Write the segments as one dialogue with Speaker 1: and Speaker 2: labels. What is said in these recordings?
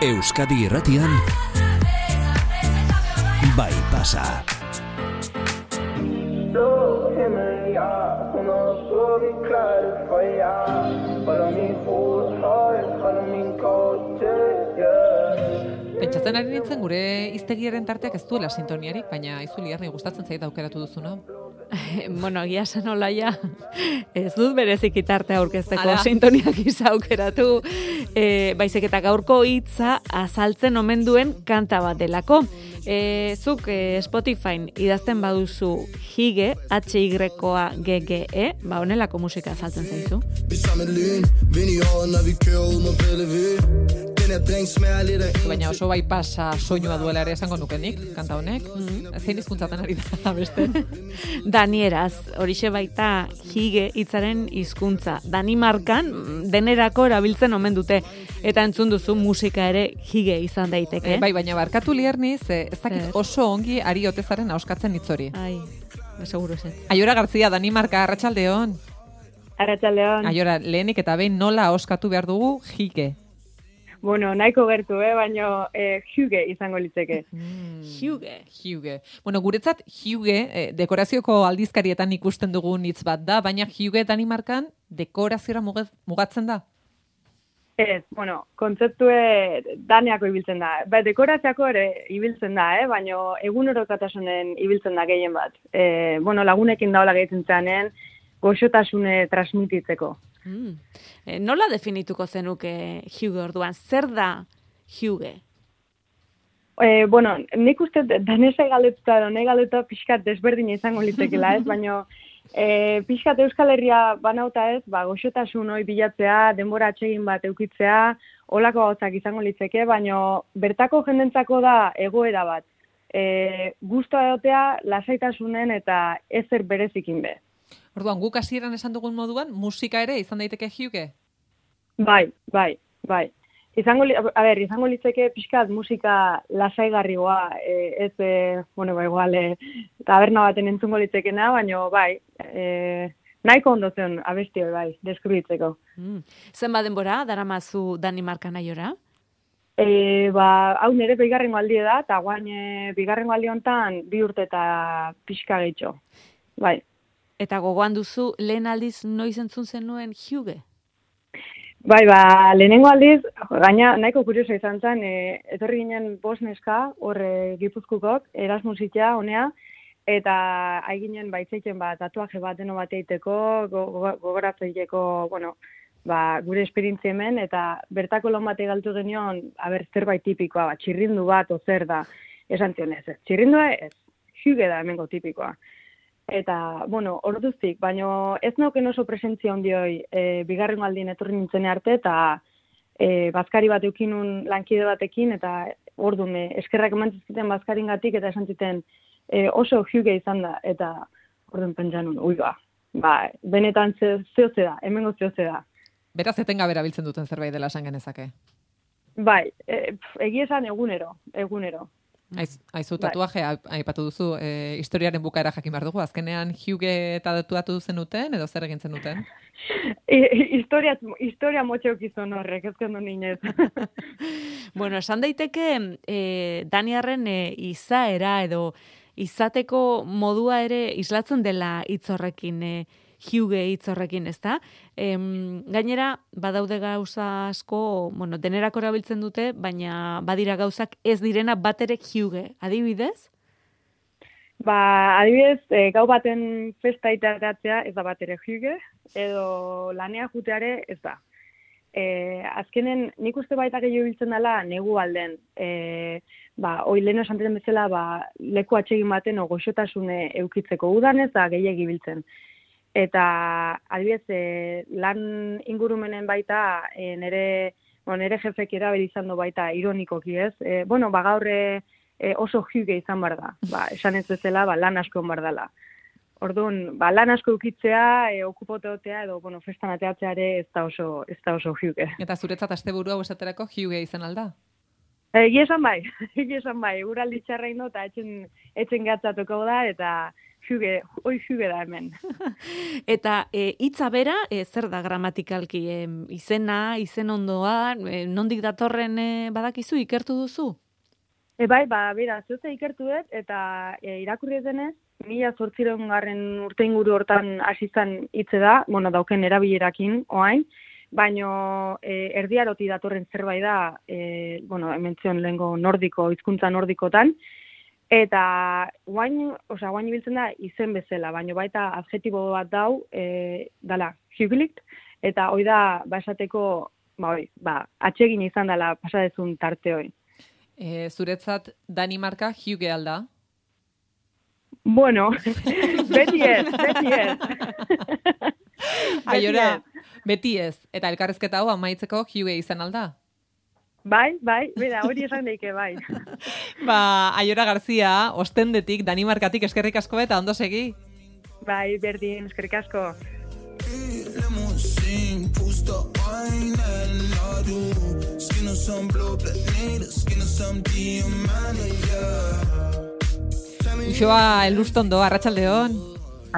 Speaker 1: Euskadi Irratian Bai pasa.
Speaker 2: Pentsatzen ari nintzen gure hiztegiaren tarteak ez duela sintoniarik, baina Itzuli Arni gustatzen zait aukeratu duzuna.
Speaker 3: Bueno, egia esan olaia, ez dut berezik tarte aurkezteko sintoniak aukeratu, baizik eta gaurko hitza azaltzen omen duen kanta bat delako. Zuk Spotifyn idazten baduzu Hige, H-Y-G-G-E, honelako musika azaltzen zaizu.
Speaker 2: Baina oso bai pasa soinua duela ere esango nukenik, kanta honek. Zein hizkuntzatan ari da beste?
Speaker 3: Danieraz, horixe baita Hige hitzaren hizkuntza. Danimarkan denerako erabiltzen omen dute. Eta entzun duzu musika ere Hige izan daiteke.
Speaker 2: Bai, baina barkatu Lierniz, ez dakit oso ongi Ari Otezaren ahoskatzen hitz hori.
Speaker 3: Ai, seguro zen.
Speaker 2: Aiora Gartzia, Danimarka, arratsaldeon.
Speaker 4: Arratsaldeon.
Speaker 2: Aiora, lehenik eta behin nola ahoskatu behar dugu Hige?
Speaker 4: Bueno, nahiko gertu, baina Hige izango litzeke.
Speaker 2: Hige. Bueno, guretzat Hige dekorazioko aldizkarietan ikusten dugun hitz bat da, baina Hige Danimarkan dekoraziora mugatzen da?
Speaker 4: Ez, bueno, kontzeptue daneako ibiltzen da. Dekoratziako ere ibiltzen da, baina egunerokotasunen ibiltzen da gehien bat. Bueno, lagunekin daola gehitzen zeanen, goxotasune transmititzeko.
Speaker 3: Nola definituko zenuke Hige orduan? Zer da Hige?
Speaker 4: Bueno, nik uste danesa galetuta edo nahi galetuta pixkat desberdin izango litekela, baina pixkat Euskal Herria banauta goxotasun hori bilatzea, denbora atsegin bat eukitzea, holako gauzak izango litzeke, baina bertako jendentzako da egoera bat. Gustoa egotea, lasaitasunen eta ezer berezikin be.
Speaker 2: Orduan, guk hasieran esan dugun moduan, musika ere izan daiteke Hige?
Speaker 4: Bai. Izango litzeke pixkat musika lasaigarrigoa, ez, igual, taberna baten entzungo litzekena, baina bai, nahiko ondo zen abesti hori bai, deskribitzeko.
Speaker 3: Zenbat denbora daramazu Danimarkan aiora?
Speaker 4: Hau nire bigarrengo aldi da, eta guain bigarrengo aldi honetan 2 urte eta pixka gehitxo. Bai.
Speaker 3: Eta gogoan duzu lehen aldiz noiz entzun zenuen Hige?
Speaker 4: Bai, lehenengo aldiz, gaina nahiko kurioso izan zen, etorri ginen 5 neska, horre Gipuzkukok, Erasmusitea, honea, eta haiginen baitzeiken tatuaje bat deno bat eiteko, gogoratzeiteko, gure esperientzia hemen, eta bertako lan bate galtu genion, zerbait tipikoa, txirrindu bat, ozer da, esan zion ez. Txirrindua ez, Hige da hemengo tipikoa. Eta, orduztik, baina ez nauken oso presentzia ondioi bigarrengo aldien etorri nintzen arte, eta bazkari bat eukinun lankide batekin, eta orduan eskerrak emantzizkiten bazkaringatik, eta esan ziten oso Hige izan da, eta orduan pentsan nun, benetan zehoze da, hemengo zehoze da.
Speaker 2: Beraz, etengabera biltzen duten zerbait dela esan genezake?
Speaker 4: Bai, egia esan egunero.
Speaker 2: Aizu, tatuaje, aipatu duzu, historiaren bukaera jakin behar dugu, azkenean Hige eta tatuatu zenuten, edo zer egin zenuten?
Speaker 4: Historia motxeukizun horrek, ezkendu ninez.
Speaker 3: Bueno, esan daiteke, Daniarren izaera edo izateko modua ere islatzen dela hitz horrekin, Hige hitz horrekin, ezta? Gainera, badaude gauza asko, denerako erabiltzen dute, baina badira gauzak ez direna bat ere Hige. Adibidez?
Speaker 4: Adibidez, gau baten festa itaratzea ez da bat ere Hige, edo lanea juteare ez da. Azkenen, nik uste baita gehiago biltzen dela negu alden. Hoi leheno esantzen bezala, leku atsegin baten goxotasune eukitzeko udanez da gehiagi biltzen. Eta, adibidez, lan ingurumenen baita, nire jefek erabili izan du baita ironikoki ez. Gaur oso Hige izan behar da. Esan ez bezala, lan asko behar dela. Orduan, lan asko eukitzea, okupoteotea, edo, festan ateatzea ere ez da oso Hige.
Speaker 2: Eta zuretzat asteburu hau esaterako Hige izan alda?
Speaker 4: Egia esan bai, uraldi txarra indo, eta etxen gatzatuko da, eta Huge da hemen.
Speaker 3: Eta hitza bera, zer da gramatikalki? Izena, izen ondoa, nondik datorren badakizu, ikertu duzu?
Speaker 4: Bai, bera, zehuzte ikertu dut, eta irakurri denez, 1800 urte inguru hortan hasi zen hitze da, dauken erabilerakin, oain, baino erdiaroti datorren zerbait da, hemen zion lehengo nordiko, hizkuntza nordikotan, eta guain ibiltzen da izen bezala, baino baita adjetibo bat dau, dala, hügelikt, eta hoi da, esateko, atsegin izan dela pasadezun tarte hoi.
Speaker 2: Zuretzat Danimarka Huge alda?
Speaker 4: Bueno, beti ez.
Speaker 2: Aiora, beti ez. Eta elkarrezketa hau amaitzeko Huge izan alda?
Speaker 4: Bai, bera, hori esan daike, bai.
Speaker 2: Aiora Garzia, Ostendetik, Danimarkatik eskerrik asko eta ondo segi?
Speaker 4: Bai, berdin, eskerrik asko.
Speaker 2: Uxoa Elustondo, arratsaldeon.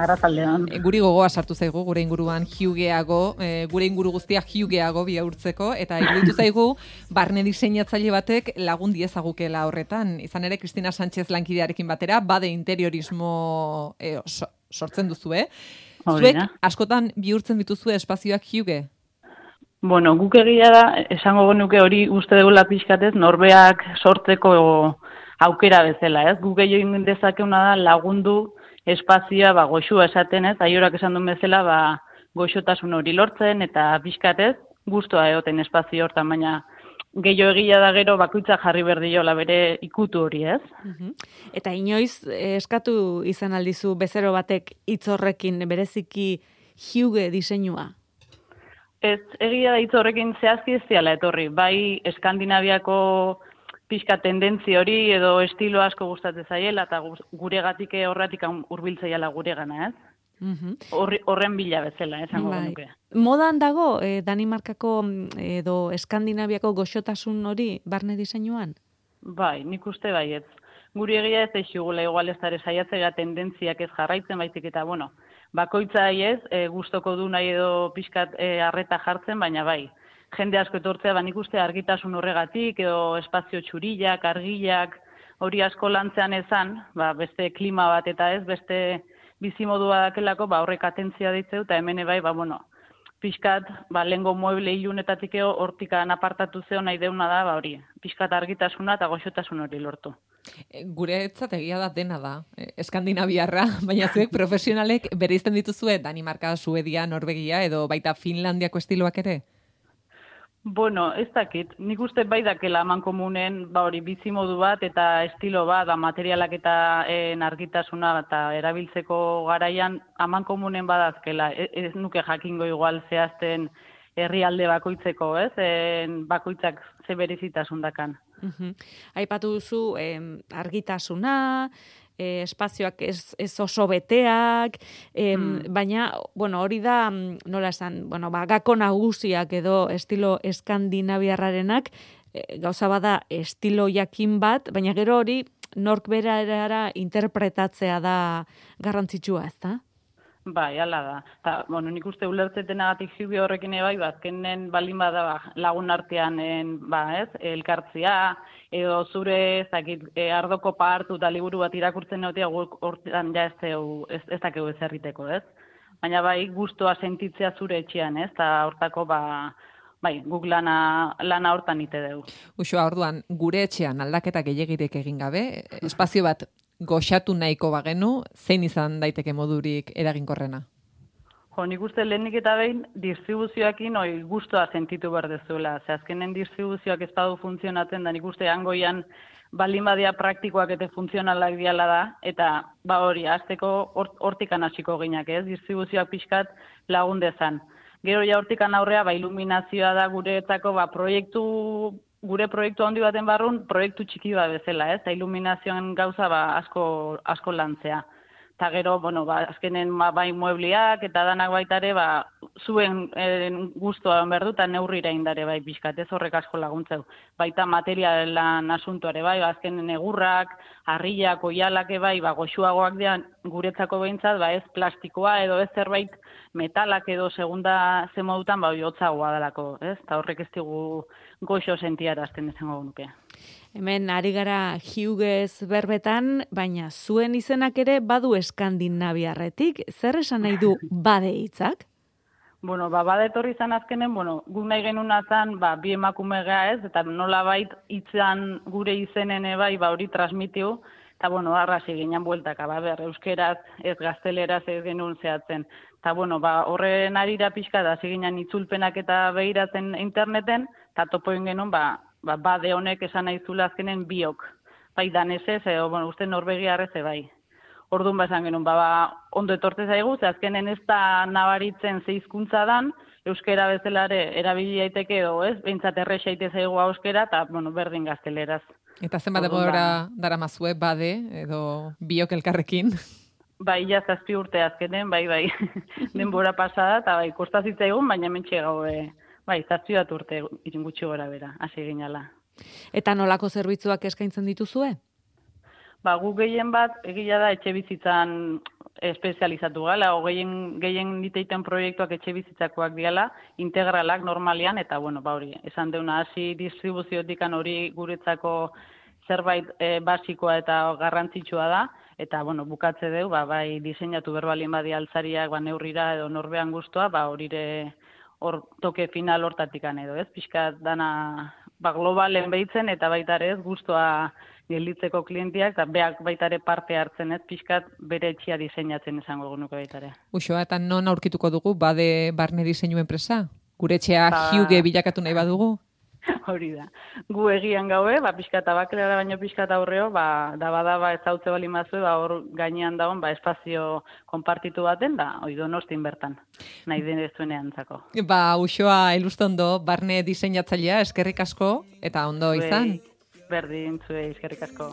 Speaker 5: Arratsaldeon.
Speaker 2: Guri gogoa sartu zaigu gure inguruan Hugeago, gure inguru guztia Hugeago bihurtzeko, eta iruditu zaigu barne diseinatzaile batek lagun diezagukela horretan. Izan ere, Cristina Sánchez lankidearekin batera, bade interiorismo sortzen duzu, Zuek askotan bihurtzen dituzue espazioak Huge?
Speaker 5: Bueno, guk egia da, esango genuke hori uste dugula pixkatez, norbeak sortzeko aukera bezala, ez? Guk egin dezakeuna da lagundu espazioa goxua esaten, ez? Aiorak esan duen bezala, goxotasun hori lortzen eta pixkatez gustua egoten espazio hortan, baina gehiago egia da gero bakoitza jarri berdiola bere ikutu hori, ez?
Speaker 3: Eta inoiz eskatu izan aldizu bezero batek hitz horrekin bereziki Huge diseinua?
Speaker 5: Ez, egia da hitz horrekin zehazki ez diala etorri. Bai, Eskandinaviako pixka tendentzi hori edo estilo asko gustatzen zaiela eta guregatik horretik hurbiltzaiala guregana, ez? Horren bila bezala, esango genuke.
Speaker 3: Modan dago Danimarkako edo Eskandinaviako goxotasun hori barne diseinuan?
Speaker 5: Bai, nik uste baietz. Guri egia ez eixugula igual ez dara saiatzea tendentziak ez jarraitzen baizik eta, bakoitza ez, gustoko du nahi edo pixkat arreta jartzen, baina bai. Jende asko etortzea, nik uste argitasun horregatik, edo espazio txurillak, argillak, hori asko lantzean ezan, beste klima bat eta ez, beste bizimodua dakelako, horrek atentzia ditzeu, eta hemen bai, pixkat, lehengo mueble ilunetatik hortikan apartatu zeo nahi deuna da, hori, pixkat argitasuna eta goxotasun hori lortu.
Speaker 2: Guretzat egia da dena da, Eskandinaviarra, baina zuek profesionalek bereizten dituzue Danimarka, Suedia, Norvegia edo baita Finlandiako estiloak ere?
Speaker 5: Bueno, ez dakit. Nik uste bai dakela amankomunen hori bizimodu bat eta estilo bat, materialak eta argitasuna eta erabiltzeko garaian amankomunen badazkela. Ez nuke jakingo igual zehazten herrialde bakoitzeko, ez? Bakoitzak ze berezitasun dakan.
Speaker 3: Aipatu duzu argitasuna, espazioak ez oso beteak, baina, hori da, nola esan, gako nagusiak edo estilo eskandinaviarrarenak, gauza bada estilo jakin bat, baina gero hori nork berara interpretatzea da garrantzitsua, ez da?
Speaker 5: Bai, ala da. Ta, nik uste ulertzetenagatik Huge horrekin bai, azkenen baldin bada lagun artean, elkartzea, edo zure ardoko hartu eta liburu bat irakurtzen egotea hortan ja ez dakegu ez erriteko, ez? Baina bai, gustua sentitzea zure etxean, ez? Eta hortako, guk lana hortan ite dugu.
Speaker 2: Uxoa, orduan, gure etxean aldaketa gehiagirek egin gabe, espazio bat goxatu nahiko bagenu, zein izan daiteke modurik eraginkorrena?
Speaker 5: Nik uste lehenik eta behin distribuzioakin gustua sentitu behar dezuela. Azkenen distribuzioak ez badu funtzionatzen da, nik uste hangoian baldin badia praktikoak eta funtzionalak diala da, eta hori, azteko hortikan hasiko ginak, ez? Distribuzioak pixkat lagun dezan. Gero ja hortikan aurrea, iluminazioa da guretzako gure proiektu handi baten barrun, proiektu txiki bat bezala, ez? Iluminazioan gauza asko lantzea. Eta gero, bueno, azkenen bai muebliak eta danak baitare, zuen guztua behar du, eta neurrira indare bai pixkat, ez horrek asko laguntzeu. Baita materialan asuntuare bai, azkenen egurrak, harriak, oialak bai, goxuagoak dian guretzako behintzat, ez plastikoa edo ez zerbait metalak edo segunda zemodutan, hotzagoa dalako, ez? Eta horrek ez digu goxo sentiarazten izango nuke.
Speaker 3: Hemen ari gara Hughes berbetan, baina zuen izenak ere badu eskandinaviarretik. Zer esan nahi du bade hitzak?
Speaker 5: Bueno, bade etorri izan azkenen, guk nahi genuna zan, bi emakume gea ez, eta nolabait hitzan gure izenen bai, hori transmitiu, eta arrasi ginen bueltaka, euskeraz, ez gazteleraz ez genuen zehatzen. Eta horren arira pixka da, ziginen itzulpenak eta behiratzen interneten, eta topoin genuen, bade honek esan nahi zula azkenen biok. Bai danesez, uste norbegiarrez bai. Orduan esan genuen, ondo etortze zaigu, ze azkenen ez da nabaritzen ze hizkuntza dan, euskera bezalare erabili daiteke edo, ez? Behintzat errexa ite zaigu euskera, eta berdin gazteleraz.
Speaker 2: Eta zenbat denbora daramazue bade edo biok elkarrekin?
Speaker 5: Bai, ja 7 urte azkenen, bai. Denbora pasada, eta kosta zitzaigun, baina mentxe gau, 7 urte gutxi gora bera, hasi ginala.
Speaker 3: Eta nolako zerbitzuak eskaintzen dituzue?
Speaker 5: Gu gehien bat, egia da etxe bizitzan espezializatu gala, gehien diteiten proiektuak etxe bizitzakoak diala, integralak normalian, eta hori, esan deuna hasi distribuziotikan hori guretzako zerbait basikoa eta garrantzitsua da, eta bukatze deu, bai diseinatu berbalien badi altzariak, neurrira edo norbean guztua, horire hor toke final hortatikan edo, ez? Pixkat dana globalen behitzen eta baitare ez guztua gelditzeko klientiak, eta beak baitare parte hartzen ez, pixkat bere etxia diseinatzen izango genuke baitare.
Speaker 2: Uxoa, eta non aurkituko dugu bade barne diseinu enpresa? Gure etxea Hughes bilakatu nahi badugu?
Speaker 5: Hori da. Gu egian gaue, pixkat abakelera baino pixkat aurreo, da ezautze bali mazue, hor gainean dagoen, espazio konpartitu baten, hori Donostin bertan, nahi denezuenean zako.
Speaker 2: Uxoa, ilustondo, barne diseinatzailea, eskerrik asko, eta ondo izan.
Speaker 5: Berdin, zuei, eskerrik asko.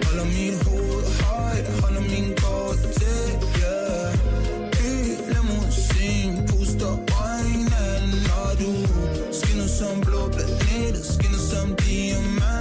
Speaker 6: Holder min hoved højt, holder min kort til, limousine, puster øjnene, når du skinner som blå planeter, skinner som diamant.